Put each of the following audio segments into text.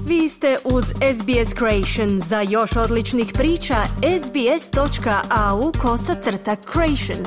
Vi ste uz SBS Creation. Za još odličnih priča, sbs.au/creation.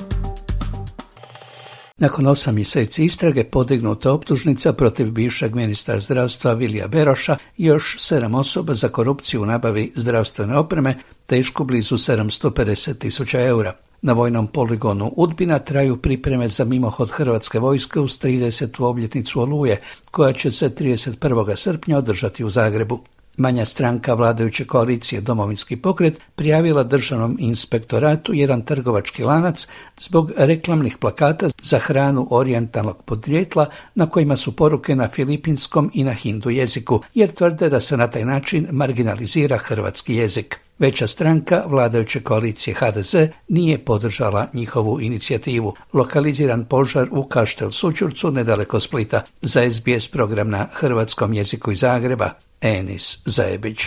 Nakon 8 mjeseci istrage podignuta optužnica protiv bivšeg ministra zdravstva Vilija Beroša i još 7 osoba za korupciju u nabavi zdravstvene opreme, tešku blizu 750.000 eura. Na vojnom poligonu Udbina traju pripreme za mimohod Hrvatske vojske uz 30. obljetnicu Oluje, koja će se 31. srpnja održati u Zagrebu. Manja stranka vladajuće koalicije Domovinski pokret prijavila Državnom inspektoratu jedan trgovački lanac zbog reklamnih plakata za hranu orijentalnog podrijetla na kojima su poruke na filipinskom i na hindu jeziku, jer tvrde da se na taj način marginalizira hrvatski jezik. Veća stranka vladajuće koalicije HDZ nije podržala njihovu inicijativu. Lokaliziran požar u Kaštel Sućurcu nedaleko Splita. Za SBS program na hrvatskom jeziku iz Zagreba, Enis Zajebić.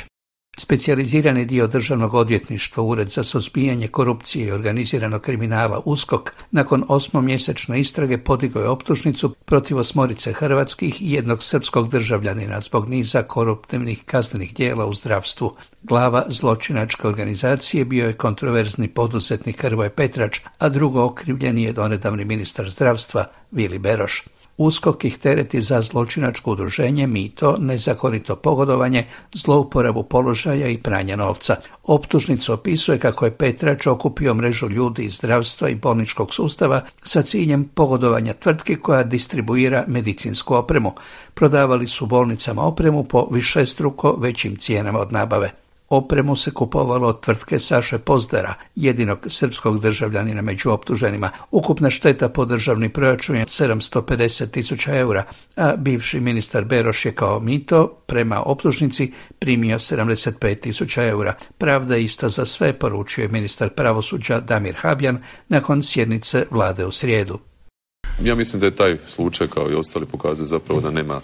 Specijalizirani dio Državnog odvjetništva, Ured za suzbijanje korupcije i organiziranog kriminala USKOK, nakon 8-mjesečne istrage podigao je optužnicu protiv 8 hrvatskih i 1 srpskog državljanina zbog niza koruptivnih kaznenih djela u zdravstvu. Glava zločinačke organizacije bio je kontroverzni poduzetnik Hrvoje Petrač, a drugo okrivljeni je donedavni ministar zdravstva Vili Beroš. USKOK ih tereti za zločinačko udruženje, mito, nezakonito pogodovanje, zlouporabu položaja i pranje novca. Optužnica opisuje kako je Petrač okupio mrežu ljudi iz zdravstva i bolničkog sustava sa ciljem pogodovanja tvrtki koja distribuira medicinsku opremu. Prodavali su bolnicama opremu po višestruko većim cijenama od nabave. Opremu se kupovalo od tvrtke Saše Pozdara, jedinog srpskog državljanina među optuženima. Ukupna šteta po državni proračun je 750.000 eura, a bivši ministar Beroš je kao mito prema optužnici primio 75.000 eura. Pravda je ista za sve, poručio je ministar pravosuđa Damir Habjan nakon sjednice vlade u srijedu. Ja mislim da je taj slučaj, kao i ostali, pokazuje zapravo da nema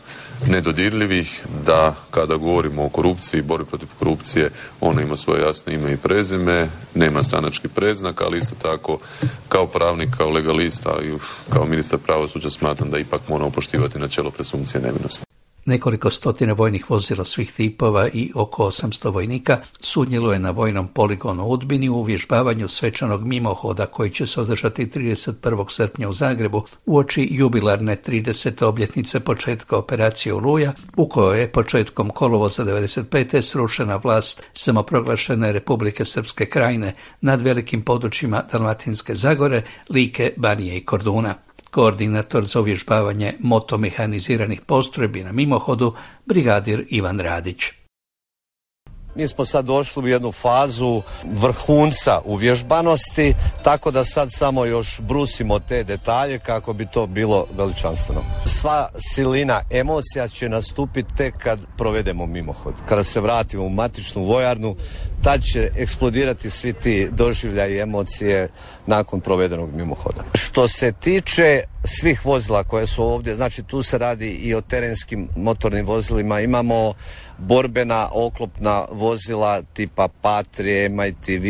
nedodirljivih, da kada govorimo o korupciji, borbi protiv korupcije, ona ima svoje jasno ime i prezime, nema stranački predznak, ali isto tako kao pravnik, kao legalista i kao ministar pravosuđa smatram da ipak moramo poštivati načelo presumpcije nevinosti. Nekoliko stotina vojnih vozila svih tipova i oko 800 vojnika sudjeluje na vojnom poligonu u Udbini u uvježbavanju svečanog mimohoda koji će se održati 31. srpnja u Zagrebu uoči jubilarne 30. obljetnice početka operacije Oluja, u kojoj je početkom kolovoza 1995. srušena vlast samoproglašene Republike Srpske Krajine nad velikim područjima Dalmatinske Zagore, Like, Banije i Korduna. Koordinator za uvježbavanje motomehaniziranih postrojbi na mimohodu, brigadir Ivan Radić. Mi smo sad došli u jednu fazu vrhunca uvježbanosti, tako da sad samo još brusimo te detalje kako bi to bilo veličanstveno. Sva silina emocija će nastupiti tek kad provedemo mimohod. Kada se vratimo u matičnu vojarnu, tad će eksplodirati svi ti doživljaji i emocije nakon provedenog mimohoda. Što se tiče svih vozila koje su ovdje, znači tu se radi i o terenskim motornim vozilima, imamo borbena oklopna vozila tipa Patrie, MTV,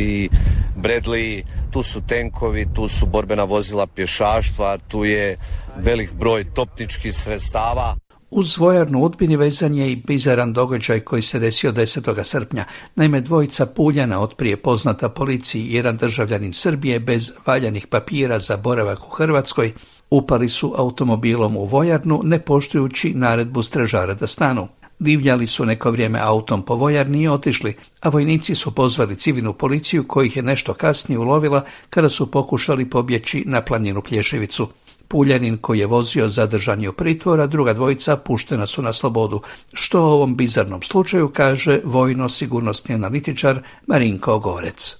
Bradley, tu su tenkovi, tu su borbena vozila pješaštva, tu je velik broj topničkih sredstava. Uz vojarnu u Udbini vezan je i bizaran događaj koji se desio 10. srpnja. Naime, dvojica Puljana, otprije poznata policiji, jedan državljanin Srbije bez valjanih papira za boravak u Hrvatskoj, upali su automobilom u vojarnu ne poštujući naredbu stražara da stanu. Divljali su neko vrijeme autom po vojarni i otišli, a vojnici su pozvali civilnu policiju kojih je nešto kasnije ulovila kada su pokušali pobjeći na planinu Plješevicu. Puljanin koji je vozio zadržan je u pritvoru, a druga dvojica puštena su na slobodu. Što o ovom bizarnom slučaju kaže vojno-sigurnosni analitičar Marinko Gorec.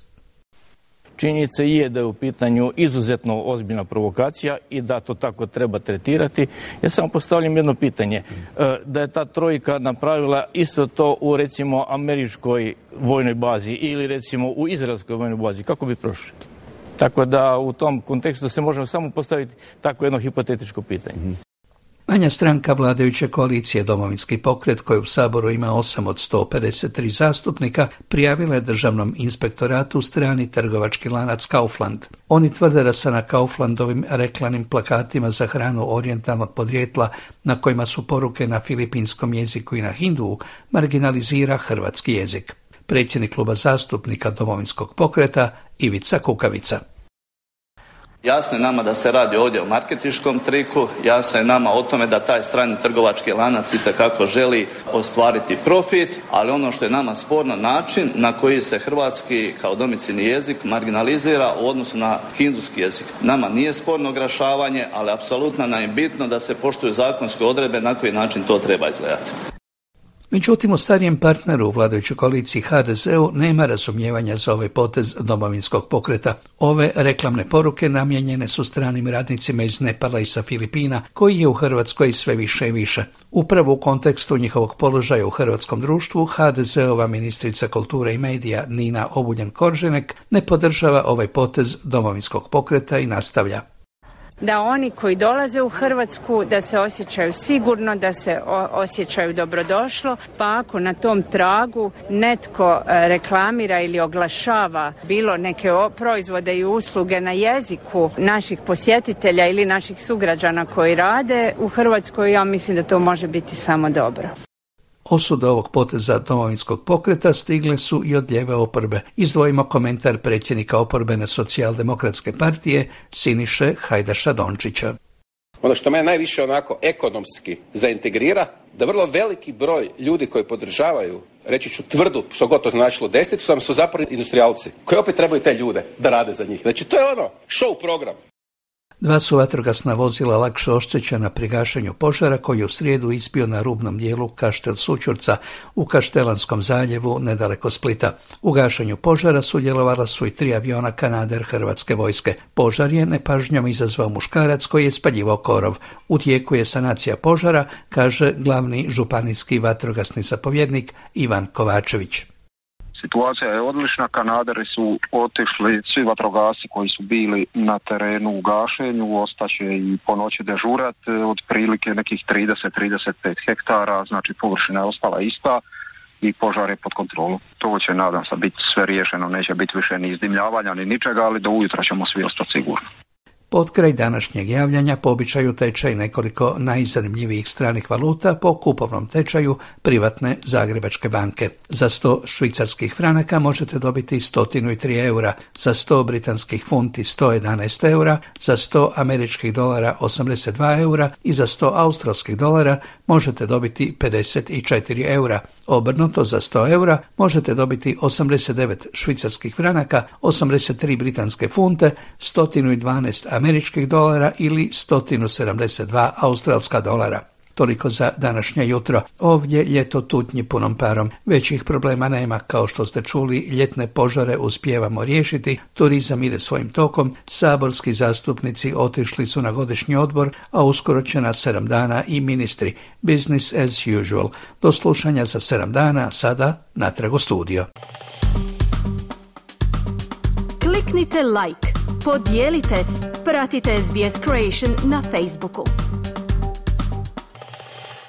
Činjenica je da je u pitanju izuzetno ozbiljna provokacija i da to tako treba tretirati. Ja samo postavljam jedno pitanje. Da je ta trojka napravila isto to u recimo američkoj vojnoj bazi ili recimo u izraelskoj vojnoj bazi, kako bi prošli? Tako da u tom kontekstu se možemo samo postaviti tako jedno hipotetičko pitanje. Manja stranka vladajuće koalicije Domovinski pokret, koji u Saboru ima 8 od 153 zastupnika, prijavila je Državnom inspektoratu strani trgovački lanac Kaufland. Oni tvrde da se na Kauflandovim reklamnim plakatima za hranu orijentalnog podrijetla, na kojima su poruke na filipinskom jeziku i na hindu, marginalizira hrvatski jezik. Predsjednik kluba zastupnika Domovinskog pokreta Ivica Kukavica. Jasno je nama da se radi ovdje o marketinškom triku, jasno je nama o tome da taj strani trgovački lanac itekako želi ostvariti profit, ali ono što je nama sporno, način na koji se hrvatski kao domicilni jezik marginalizira u odnosu na hinduski jezik. Nama nije sporno oglašavanje, ali apsolutno nam je bitno da se poštuju zakonske odredbe na koji način to treba izgledati. Međutim, u starijem partneru u vladajućoj koaliciji HDZ-u nema razumijevanja za ovaj potez Domovinskog pokreta. Ove reklamne poruke namijenjene su stranim radnicima iz Nepala i sa Filipina, koji je u Hrvatskoj sve više i više. Upravo u kontekstu njihovog položaja u hrvatskom društvu, HDZ-ova ministrica kulture i medija Nina Obuljen-Koržinek ne podržava ovaj potez Domovinskog pokreta i nastavlja. Da oni koji dolaze u Hrvatsku da se osjećaju sigurno, da se osjećaju dobrodošlo, pa ako na tom tragu netko reklamira ili oglašava bilo neke proizvode i usluge na jeziku naših posjetitelja ili naših sugrađana koji rade u Hrvatskoj, ja mislim da to može biti samo dobro. Osude ovog poteza Domovinskog pokreta stigle su i od lijeve oporbe. Izdvojimo komentar predsjednika oporbene socijaldemokratske partije Siniše Hajdaša Dončića. Ono što me najviše onako ekonomski zaintegrira, da vrlo veliki broj ljudi koji podržavaju, reći ću tvrdu, što god to značilo, desnicu, su zapravo industrijalci, koji opet trebaju te ljude da rade za njih. Znači to je ono, show program. 2 su vatrogasna vozila lakše oštećena pri gašenju požara koji je u srijedu ispio na rubnom dijelu Kaštel Sućurca u Kaštelanskom zaljevu nedaleko Splita. U gašenju požara sudjelovala su i 3 aviona Kanader Hrvatske vojske. Požar je nepažnjom izazvao muškarac koji je spaljivao korov. U tijeku je sanacija požara, kaže glavni županijski vatrogasni zapovjednik Ivan Kovačević. Situacija je odlična, Kanaderi su otišli, svi vatrogasci koji su bili na terenu u gašenju, ostaće i po noći dežurat, otprilike nekih 30-35 hektara, znači površina je ostala ista i požar je pod kontrolom. To će, nadam se, biti sve riješeno, neće biti više ni izdimljavanja ni ničega, ali do ujutro ćemo svi ostati sigurno. Pod kraj današnjeg javljanja po običaju tečaj nekoliko najzanimljivijih stranih valuta po kupovnom tečaju privatne Zagrebačke banke. Za 100 švicarskih franaka možete dobiti 103 eura, za 100 britanskih funti 111 eura, za 100 američkih dolara 82 eura i za 100 australskih dolara možete dobiti 54 eura. Obrnuto, za 100 eura možete dobiti 89 švicarskih franaka, 83 britanske funte, 112 američkih dolara ili 172 australska dolara. Toliko za današnje jutro. Ovdje ljeto tutnji punom parom. Većih problema nema, kao što ste čuli, ljetne požare uspijevamo riješiti, turizam ide svojim tokom, saborski zastupnici otišli su na godišnji odbor, a uskoro će na 7 dana i ministri. Business as usual. Do slušanja za 7 dana, sada natrag u studio. Kliknite like, podijelite, pratite SBS Creation na Facebooku.